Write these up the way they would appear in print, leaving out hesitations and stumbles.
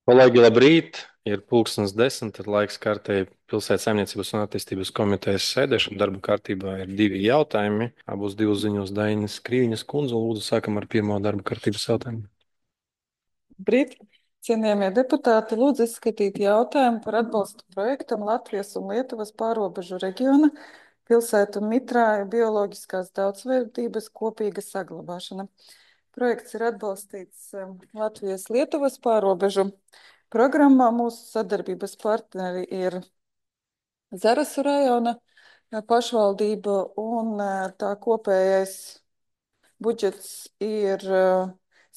Kolēģi, labrīt! Ir pulkstens 10, ir laiks kārtēji pilsētas saimniecības un attīstības komitejas sēdēšana. Darba kārtībā ir divi jautājumi. Abos divus ziņos Dainis Krīņas kundze. Lūdzu, sākam ar pirmo darba kārtības jautājumu. Brīt, cienījamie deputāti, lūdzu izskatīt jautājumu par atbalstu projektam Latvijas un Lietuvas pārobežu reģiona pilsētu mitrāju bioloģiskās daudzveidības kopīga saglabāšana. Projekts ir atbalstīts Latvijas-Lietuvas pārobežu programmā. Mūsu sadarbības partneri ir Zarasu rajona pašvaldība un tā kopējais budžets ir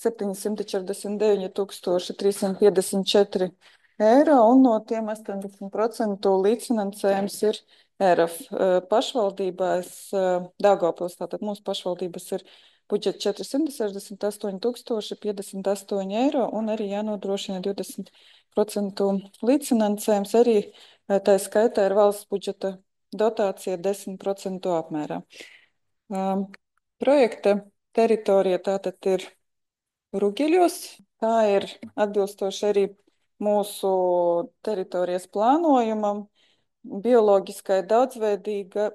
749,354 eiro, un no tiem 80% līdzfinansējums ir ERF pašvaldībās. Daugavpils, tātad mūsu pašvaldības ir budžets 468,058 eiro, un arī jānodrošina 20% līdzfinansējums. Arī tā skaitā ir valsts budžeta dotācija 10% apmērā. Projekta teritorija tātad ir Rugeļos. Tā ir atbilstoši arī mūsu teritorijas plānojumam. Bioloģiskai daudzveidībai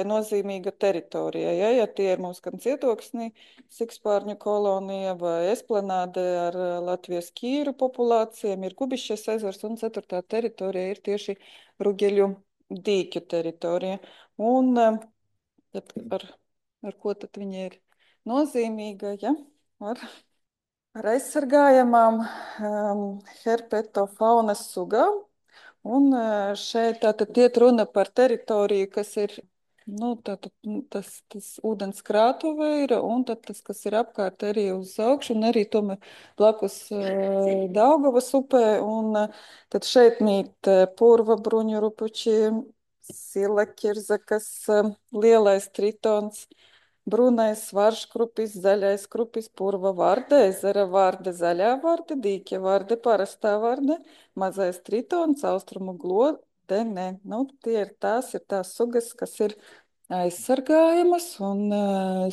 nozīmīga teritorija. Ja tie ir mums gan cietoksnī, sikspārņu kolonija vai esplanāde ar Latvijas kīru populācijām, ir Kubišķes ezers, un ceturtā teritorija ir tieši Rugeļu dīķu teritorija. Un tad ar ko tad viņa ir nozīmīga? Ja? Ar, ar aizsargājamām herpetofaunas sugām. Un šeit tātad iet runa par teritoriju, kas ir tātad, tas ūdens krātuve ir, un tad tas, kas ir apkārt arī uz augšu, un arī tomēr blakus Daugavas upē. Un tad šeit mīt purva bruņurupuči, sila kirzakas, lielais tritons, brūnais svarškrupis, zaļais krupis, purva varde, ezera varde, zaļā varde, dīķa varde, parastā varde, mazais tritons, austrumu glodene. Tie ir tās sugas, kas ir aizsargājamas, un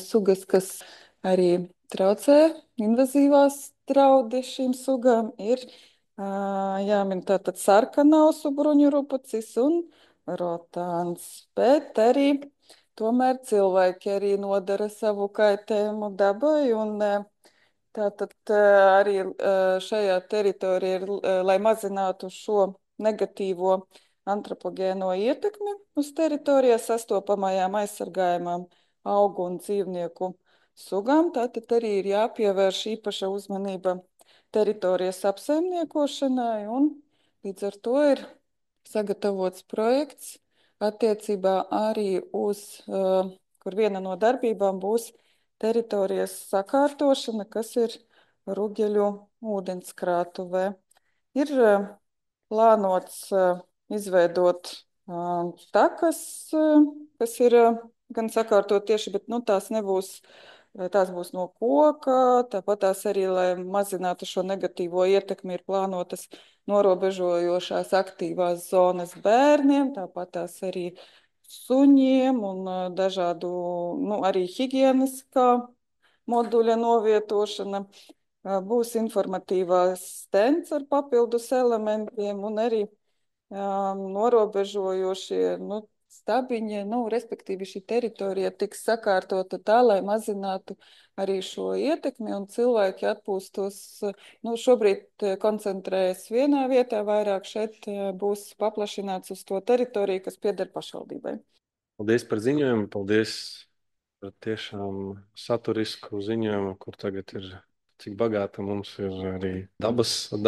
sugas, kas arī traucē, invazīvās draudi šīm sugām, ir jāmin tātad sarkanausu bruņurupucis un rotāns. Bet arī tomēr cilvēki arī nodara savu kaitējumu dabai, un tātad arī šajā teritorijā ir, lai mazinātu šo negatīvo antropogēno ietekmi uz teritorijā sastopamajām aizsargājumām augu un dzīvnieku sugām, tātad arī ir jāpievērš īpaša uzmanība teritorijas apsaimniekošanai, un līdz ar to ir sagatavots projekts attiecībā arī uz, kur viena no darbībām būs teritorijas sakārtošana, kas ir Rugeļu ūdenskrātuvē. Ir plānots izveidot takas, kas ir gan sakārtot tieši, bet tās nebūs, tās būs no koka, tāpat tās arī, lai mazinātu šo negatīvo ietekmi, ir plānotas norobežojošās aktīvās zonas bērniem, tāpat tās arī suņiem un dažādu, arī higieniskā moduļa novietošana. Būs informatīvās stends ar papildus elementiem un arī norobežojošie stabiņi, respektīvi šī teritorija tiks sakārtota tā, lai mazinātu arī šo ietekmi, un cilvēki atpūstos. Šobrīd koncentrējas vienā vietā, vairāk šeit būs paplašināts uz to teritoriju, kas pieder pašvaldībai. Paldies par ziņojumu, paldies par tiešām saturisku ziņojumu, kur tagad ir. Cik bagāta mums ir arī dabas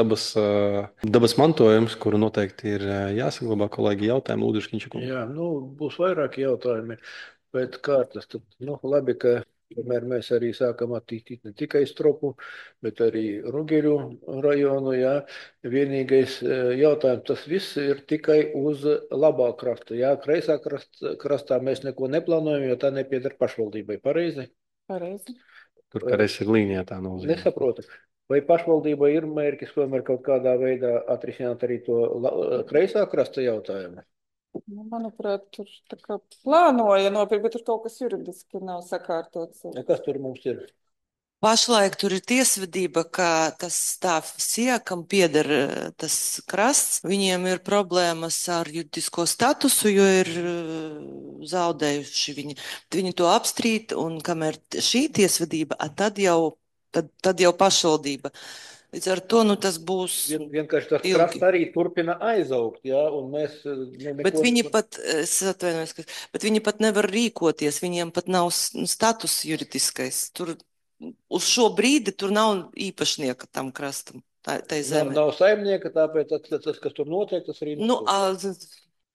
mantojums, kuru noteikti ir jāsaglabā. Kolēģi, jautājumu Lūdzu, Škiņša. Jā, būs vairāki jautājumi pēc kārtas. Tad, labi, ka tomēr mēs arī sākam attīstīt ne tikai Stropu, bet arī Rugeļu rajonu. Jā. Vienīgais jautājums, tas viss ir tikai uz labā krasta. Jā, kreisā krastā mēs neko neplānojam, jo tā nepieder pašvaldībai. Pareizi? Pareizi. Tur karēs ir līnijā tā nozīme. Nesaprotu. Vai pašvaldībai ir mērķis tomēr kaut kādā veidā atrisināt arī to kreisā krasta jautājumu? Manuprāt, tur tā kā plānoja nopirkt, bet tur kaut kas juridiski nav sakārtots. Kas tur mums ir? Pašlaik tur ir tiesvedība, ka tas stāvs, kam pieder tas krasts, viņiem ir problēmas ar juridisko statusu, jo ir zaudējuši viņi. Viņi to apstrīd, un kamēr šī tiesvedība, tad jau pašvaldība. Līdz ar to tas būs Vienkārši tas ilgi. krasts arī turpina aizaugt, ja, un mēs Bet viņi pat, es atvainojos, bet viņi pat nevar rīkoties, viņiem pat nav status juridiskais. Tur uz šo brīdi tur nav īpašnieka tam krastam, tai zemē. nav saimnieka, tāpēc tas, kas tur notiek, tas arī Nu, notiek.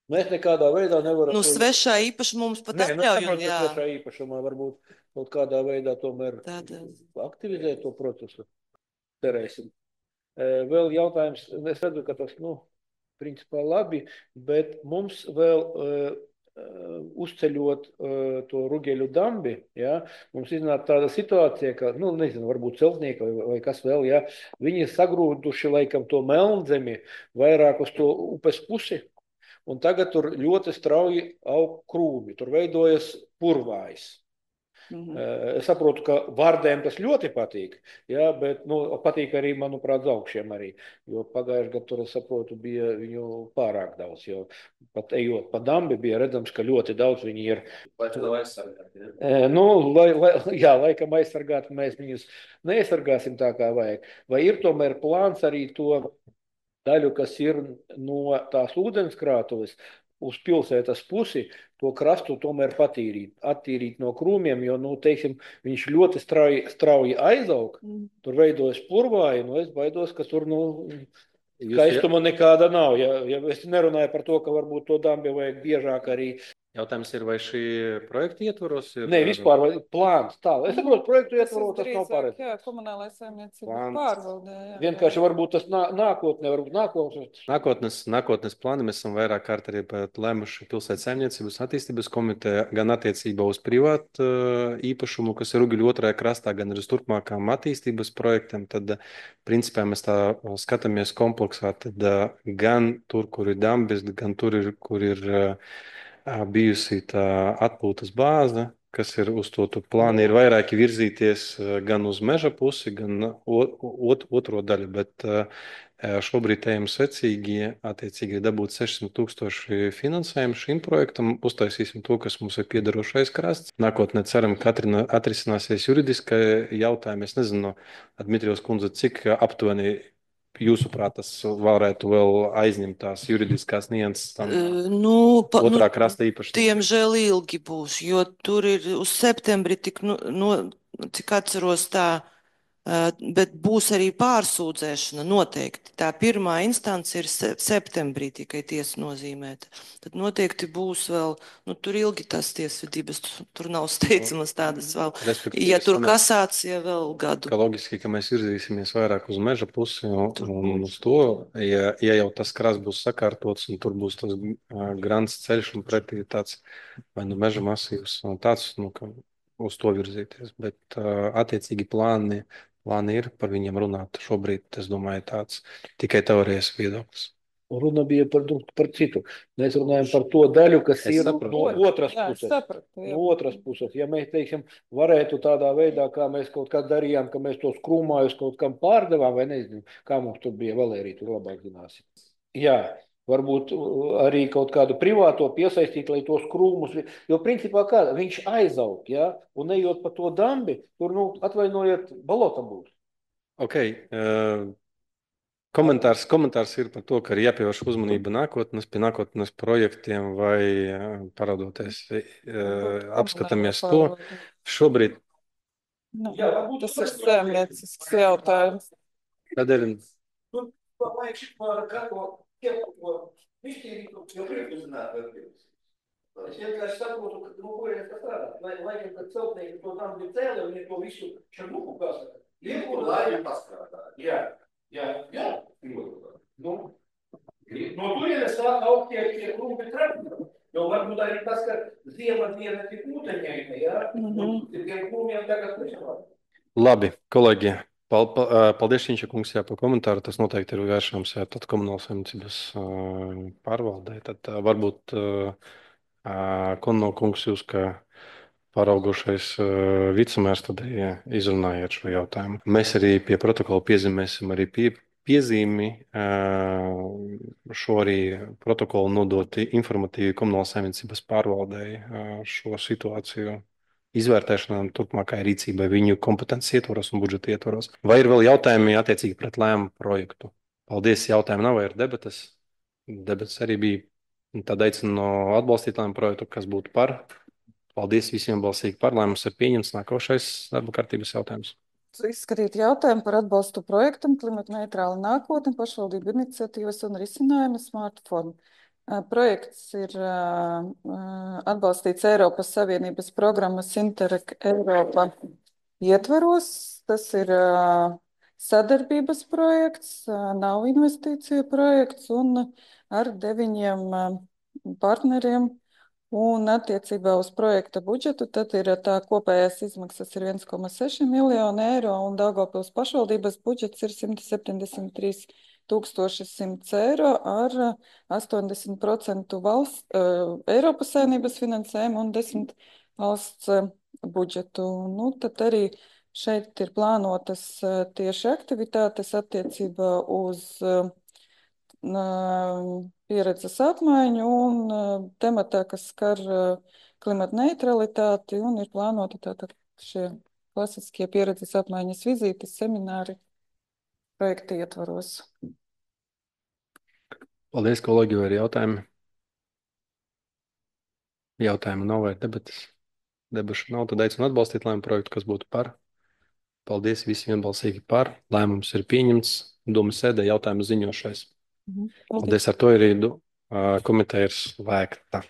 Mēs nekādā veidā nevaram. Svešā īpašuma mums pat atļauj. Svešā īpašumā varbūt kaut kādā veidā tomēr aktivizēt to procesu. Cerēsim. Vēl jautājums, es redzu, ka tas, principā labi, bet mums vēl uzceļot to Rugeļu dambi, ja, mums iznāk tāda situācija, ka, nezinu, varbūt celtnieki vai kas vēl, ja, viņi sagrūduši laikam to Melnzemi vairāk uz to upes pusi, un tagad tur ļoti strauji aug krūmi, tur veidojas purvājs. Es saprotu, ka vārdēm tas ļoti patīk, ja, bet patīk arī, manuprāt, zaugšiem arī, jo pagājuši gadu tur, es saprotu, bija viņu pārāk daudz, jo pat ejot pa dambi bija redzams, ka ļoti daudz viņi ir. Lai to aizsargāt, ja? Laikam aizsargāt, mēs viņus neaizsargāsim tā kā vajag. Vai ir tomēr plāns arī to daļu, kas ir no tās ūdenskrātuves, uz pilsētas pusi, to krastu tomēr attīrīt no krūmiem, jo, teiksim, viņš ļoti strauji aizaug, tur veidojas purvāji, es baidos, ka tur, skaistuma nekāda nav. Ja es nerunāju par to, ka varbūt to dambi vajag biežāk arī. Jautājums ir, vai šī projekta ietvaros ir? Nē, vispār plāns tālāk. Es saprotu, projektu ietvaros tas nav pareizi. Jā, komunālais saimniecības pārvaldē. Vienkārši varbūt tas nākotnē, Nākotnes plāni mēs esam vairāk kārt arī lēmuši pilsētas saimniecības attīstības komiteja gan attiecībā uz privātu īpašumu, kas ir Rugeļu otrajā krastā, gan arī uz turpmākām attīstības projektiem. Tad, principā, mēs tā skatāmies kompleksā, tad gan tur, kur ir dambis, gan tur, kur ir bijusi tā atpūtas bāze, kas ir uz to plānu, ir vairāki virzīties gan uz meža pusi, gan otro daļu, bet šobrīd ejam secīgi, attiecīgi dabūt 600,000 finansējumu šim projektam, uztaisīsim to, kas mums ir piederošais krasts. Nākotnē ceram, ka atrisināsies juridiskai jautājumi. Es nezinu, Dmitrijos kundze, cik aptuveni jūsuprāt, tas varētu vēl aizņemt tās juridiskās nianses tam otrā krasta īpašniekam? Diemžēl ilgi būs, jo tur ir uz septembri cik atceros tā, bet būs arī pārsūdzēšana noteikti. Tā pirmā instance ir septembrī tikai tiesa nozīmēta. Tad noteikti būs vēl, tur ilgi tas tiesvedības, tur nav steidzamas tādas vēl. Ja tur kasācija vēl gadu. Ka loģiski, ka mēs virzīsimies vairāk uz meža pusi un uz to, ja jau tas krasts būs sakārtots un tur būs tas grants ceļš un pretī tāds vai meža masīvs un tāds, ka uz to virzīties. Bet attiecīgi plāni ir par viņiem runāt. Šobrīd, es domāju, tāds tikai teorijas viedoklis. Runa bija par citu. Mēs runājam par to daļu, kas ir no otras puses. No otras puses. Ja mēs, teiksim, varētu tādā veidā, kā mēs kaut kā darījām, ka mēs tos krūmājus kaut kam pārdevām, vai nezinu, kā mums tur bija, Valērija, tur labāk zināsim. Jā. Varbūt arī kaut kādu privāto piesaistīt, lai tos krūmus, jo principā kā, viņš aizaug, ja, un ejot pa to dambi, tur, atvainojiet, balota būs. Ok, komentārs ir par to, ka ir jāpievērš uzmanība pie nākotnes projektiem vai paraudoties, apskatāmies to. Šobrīd. Jā, tas ir saimniecisks jautājums. Tādēļ. Viņš ir jau priekšzināt vērtības. Es vienkārši saprotu, ka ko ir tas strādāt. Laikam, kad celtnieki to tam bija cēli, viņi to visu šarnuku, kā saka, lieku laikam pastrādāt. Jā. No turienes sāk augt tie krūmi trepni. Jo varbūt arī tas, ka ziema diena tik ūteņaina, jā? Tiem krūmiem tagad nešanāt. Labi, kolēģi. Paldies, Šinča kungs, par komentāru. Tas noteikti ir vēršams tad komunālas saimniecības pārvaldē. Tad varbūt Konno kungs jūs, ka pāraugušais vicemērs tad izrunājiet šo jautājumu. Mēs arī pie protokola piezīmēsim arī piezīmi šo arī protokolu nodot informatīvi Komunālās saimniecības pārvaldei šo situāciju izvērtēšanām, turpmākai rīcībai viņu kompetences ietvaros un budžeta ietvaros. Vai ir vēl jautājumi attiecīgi pret lēmumu projektu? Paldies, jautājumu nav, ir debatas. Debatas arī bija. Tad aicinu atbalstīt lēmumu projektu, kas būtu par. Paldies visiem balsīgi par. Lēmums ir pieņemts. Nākošais darba kārtības jautājums. Izskatīt jautājumu par atbalstu projektam Klimata neitrāla nākotne, pašvaldību iniciatīvas un risinājumi smartphone. Projekts ir atbalstīts Eiropas Savienības programmas Interreg Eiropa ietvaros. Tas ir sadarbības projekts, nav investīciju projekts un ar 9 partneriem. Un attiecībā uz projekta budžetu, tad ir tā kopējās izmaksas ir 1,6 miljonu eiro un Daugavpils pašvaldības budžets ir 173 100 eiro ar 80% Eiropas Savienības finansējumu un 10 valsts budžetu. Nu, tad arī šeit ir plānotas tieši aktivitātes attiecībā uz pieredzes apmaiņu un tematā, kas skar klimata neutralitāti, un ir plānoti tātad šie klasiskie pieredzes apmaiņas vizītes, semināri projekta ietvaros. Paldies, kolēģi, vai ir jautājumi? Jautājumu nav vai debatas? Debašu nav, tad aicinu atbalstīt lēmumu projektu, kas būtu par. Paldies visiem vienbalsīgi par. Lēmums ir pieņemts. Domas sēdē jautājumu ziņošais. Paldies, ar to arī komiteja ir slēgta.